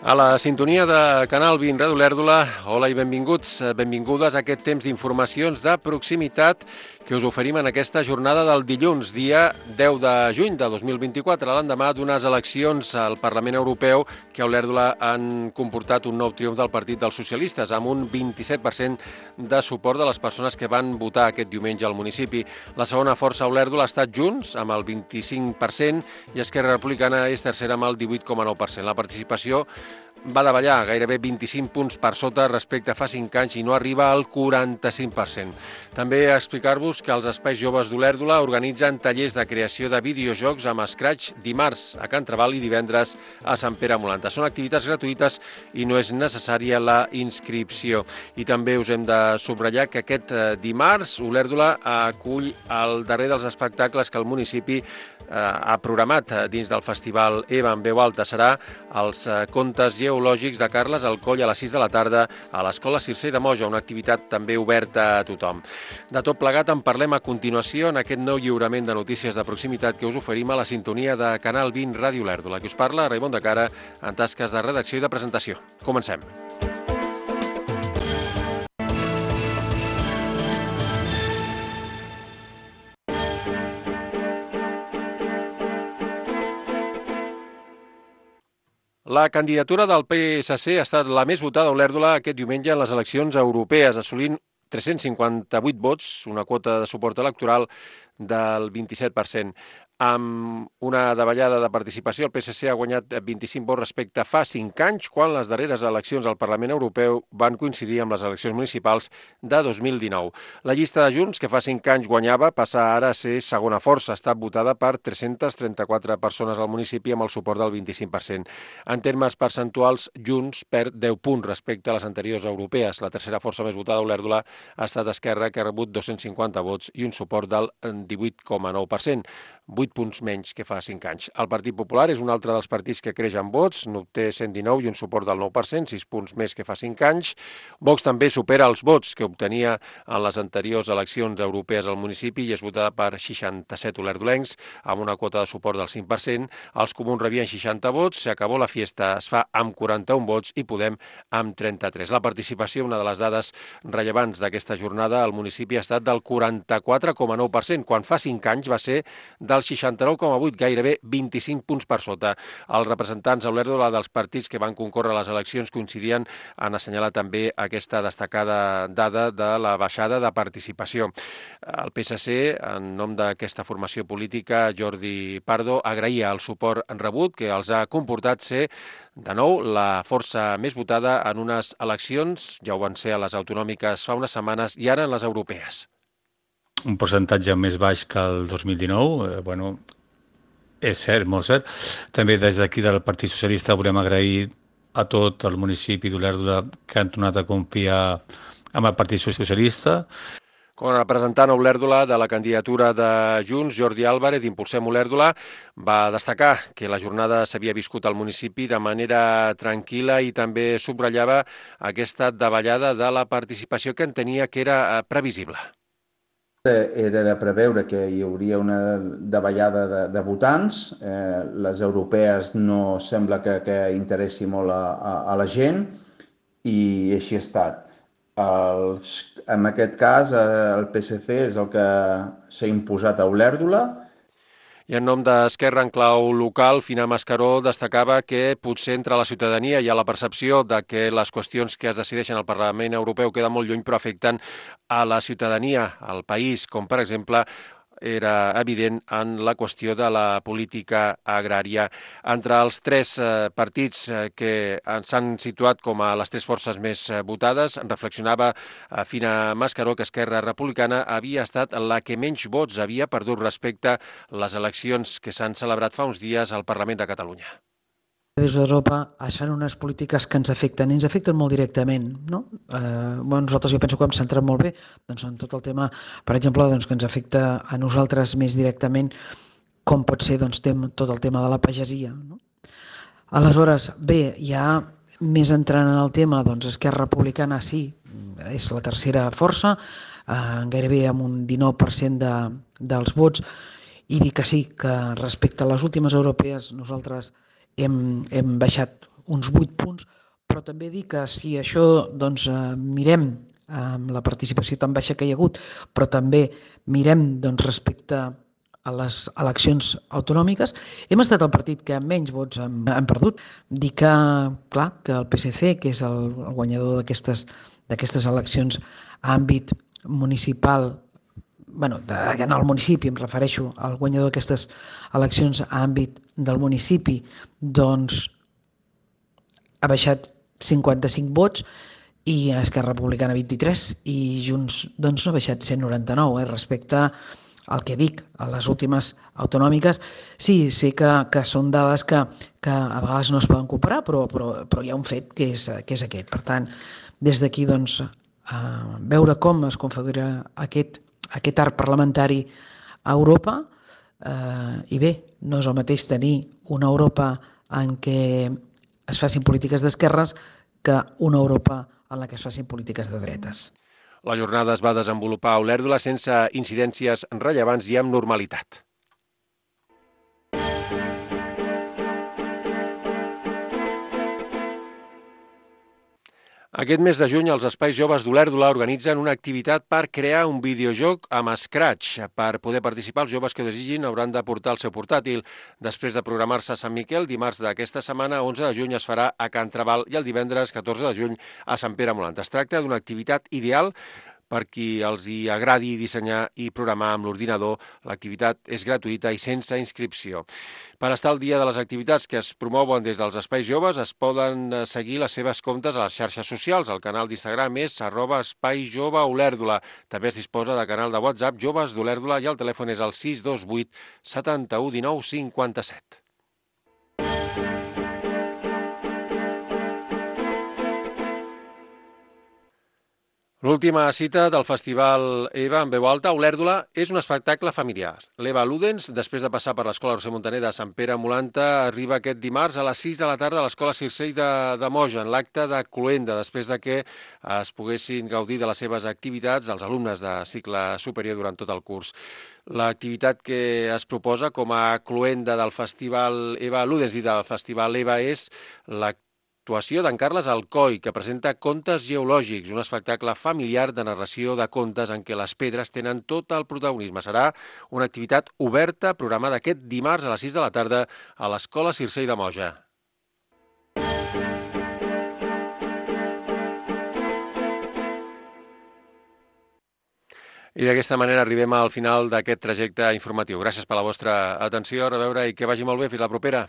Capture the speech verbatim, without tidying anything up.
A la sintonia de Canal vint Ràdio Olèrdola, hola i benvinguts, benvingudes a aquest temps d'informacions de proximitat que us oferim en aquesta jornada del dilluns, dia deu de juny de dos mil vint-i-quatre, l'endemà d'unes eleccions al Parlament Europeu que a Olèrdola han comportat un nou triomf del Partit dels Socialistes, amb un vint-i-set per cent de suport de les persones que van votar aquest diumenge al municipi. La segona força a Olèrdola ha estat Junts, amb el vint-i-cinc per cent, i Esquerra Republicana és tercera amb el divuit coma nou per cent. La participació va davallar gairebé vint-i-cinc punts per sota respecte a fa cinc anys i no arriba al quaranta-cinc per cent. També explicar-vos que els Espais Joves d'Olèrdola organitzen tallers de creació de videojocs amb Scratch dimarts a Can Trabal i divendres a Sant Pere Molanta. Són activitats gratuïtes i no és necessària la inscripció. I també us hem de subratllar que aquest dimarts Olèrdola acull el darrer dels espectacles que el municipi ha programat dins del festival EVA en veu alta. Serà els contes geològics de Carles Alcoll a les sis de la tarda a l'Escola Circer de Moja, una activitat també oberta a tothom. De tot plegat en parlem a continuació en aquest nou lliurament de notícies de proximitat que us oferim a la sintonia de Canal vint Ràdio Olèrdola. Que us parla Raimon de Cara en tasques de redacció i de presentació. Comencem. La candidatura del P S C ha estat la més votada a Olèrdola aquest diumenge en les eleccions europees, assolint tres-cents cinquanta-vuit vots, una quota de suport electoral del vint-i-set per cent. Amb una davallada de participació, el P S C ha guanyat vint-i-cinc vots respecte a fa cinc anys, quan les darreres eleccions al Parlament Europeu van coincidir amb les eleccions municipals de dos mil dinou. La llista de Junts, que fa cinc anys guanyava, passa ara a ser segona força. Ha estat votada per tres-centes trenta-quatre persones al municipi amb el suport del vint-i-cinc per cent. En termes percentuals, Junts perd deu punts respecte a les anteriors europees. La tercera força més votada a Olèrdola ha estat Esquerra, que ha rebut dos-cents cinquanta vots i un suport del divuit coma nou per cent. vuit punts menys que fa cinc anys. El Partit Popular és un altre dels partits que creix en vots, n'obté cent dinou i un suport del nou per cent, sis punts més que fa cinc anys. Vox també supera els vots que obtenia en les anteriors eleccions europees al municipi i és votada per seixanta-set olerdolencs, amb una quota de suport del cinc per cent. Els comuns rebien seixanta vots, s'acabó la fiesta, es fa amb quaranta-un vots i Podem amb trenta-tres. La participació, una de les dades rellevants d'aquesta jornada, al municipi ha estat del quaranta-quatre coma nou per cent, quan fa cinc anys va ser del seixanta-nou coma vuit, gairebé vint-i-cinc punts per sota. Els representants a Olèrdola dels partits que van concórrer a les eleccions coincidien en assenyalar també aquesta destacada dada de la baixada de participació. El P S C, en nom d'aquesta formació política, Jordi Pardo, agraïa el suport rebut que els ha comportat ser, de nou, la força més votada en unes eleccions, ja ho van ser a les autonòmiques fa unes setmanes i ara en les europees. Un percentatge més baix que el dos mil dinou, eh, bueno, és cert, molt cert. També des d'aquí del Partit Socialista volem agrair a tot el municipi d'Olèrdola que han tornat a confiar en el Partit Socialista. Com a representant a Olèrdola de la candidatura de Junts, Jordi Álvarez, d'Impulsem Olèrdola, va destacar que la jornada s'havia viscut al municipi de manera tranquil·la i també subratllava aquesta davallada de la participació que entenia que era previsible. Era de preveure que hi hauria una davallada de, de votants. Eh, les europees no sembla que, que interessi molt a, a, a la gent i així ha estat. Els, en aquest cas, el P S C és el que s'ha imposat a Olèrdola. I en nom d'Esquerra en clau local, Fina Mascaró destacava que potser entre la ciutadania hi ha la percepció de que les qüestions que es decideixen al Parlament Europeu queden molt lluny, però afecten a la ciutadania, al país, com per exemple era evident en la qüestió de la política agrària. Entre els tres eh, partits eh, que s'han situat com a les tres forces més eh, votades, reflexionava eh, Fina Mascaró que Esquerra Republicana havia estat la que menys vots havia perdut respecte a les eleccions que s'han celebrat fa uns dies al Parlament de Catalunya. Des d'Europa es fan unes polítiques que ens afecten, i ens afecten molt directament, no? Eh, bueno, nosaltres jo penso que hem centrat molt bé doncs, en tot el tema, per exemple, doncs, que ens afecta a nosaltres més directament, com pot ser doncs, tem, tot el tema de la pagesia. No? Aleshores, bé, ja més entrant en el tema, doncs Esquerra Republicana sí, és la tercera força, eh, gairebé amb un dinou per cent de, dels vots, i dir que sí, que respecte a les últimes europees nosaltres hem, hem baixat uns vuit punts, però també dir que si això doncs, eh, mirem amb la participació tan baixa que hi ha hagut, però també mirem doncs, respecte a les eleccions autonòmiques, hem estat el partit que menys vots hem, hem perdut. Dir que, clar, que el P S C, que és el, el guanyador d'aquestes d'aquestes eleccions a àmbit municipal, bueno, de, en el municipi, em refereixo al guanyador d'aquestes eleccions a àmbit del municipi, doncs ha baixat cinquanta-cinc vots i Esquerra Republicana vint-i-tres i Junts doncs ha baixat cent noranta-nou eh, respecte al que dic, a les últimes autonòmiques. Sí, sé que, que són dades que, que a vegades no es poden comparar, però, però, però hi ha un fet que és, que és aquest. Per tant, des d'aquí, doncs, eh, veure com es configura aquest, aquest arc parlamentari a Europa eh, i bé, no és el mateix tenir una Europa en què es facin polítiques d'esquerres que una Europa en la que es facin polítiques de dretes. La jornada es va desenvolupar a Olèrdola sense incidències rellevants i amb normalitat. Aquest mes de juny, els Espais Joves d'Olèrdola organitzen una activitat per crear un videojoc amb Scratch. Per poder participar, els joves que ho desitgin hauran de portar el seu portàtil. Després de programar-se a Sant Miquel, dimarts d'aquesta setmana, onze de juny, es farà a Can Trabal i el divendres, catorze de juny, a Sant Pere Molant. Es tracta d'una activitat ideal per qui els hi agradi dissenyar i programar amb l'ordinador. L'activitat és gratuïta i sense inscripció. Per estar al dia de les activitats que es promouen des dels Espais Joves, es poden seguir les seves comptes a les xarxes socials. El canal d'Instagram és arroba Espai Jove Olèrdola. També es disposa de canal de WhatsApp Joves d'Olèrdola i el telèfon és el sis dos vuit setanta-u dinou cinquanta-set. L'última cita del Festival EVA en veu alta a Olèrdola és un espectacle familiar. L'Eva Ludens, després de passar per l'Escola Roser Montaner de Sant Pere Molanta, arriba aquest dimarts a les sis de la tarda a l'Escola Circell de, de Moja, en l'acte de cloenda, després de que es poguessin gaudir de les seves activitats els alumnes de cicle superior durant tot el curs. L'activitat que es proposa com a cloenda del Festival Eva Ludens i del Festival EVA és l'activitat Actuació d'en Carles Alcoi, que presenta Contes geològics, un espectacle familiar de narració de contes en què les pedres tenen tot el protagonisme. Serà una activitat oberta, programada aquest dimarts a les sis de la tarda a l'Escola Circell de Moja. I d'aquesta manera arribem al final d'aquest trajecte informatiu. Gràcies per la vostra atenció, a reveure i que vagi molt bé. Fins la propera.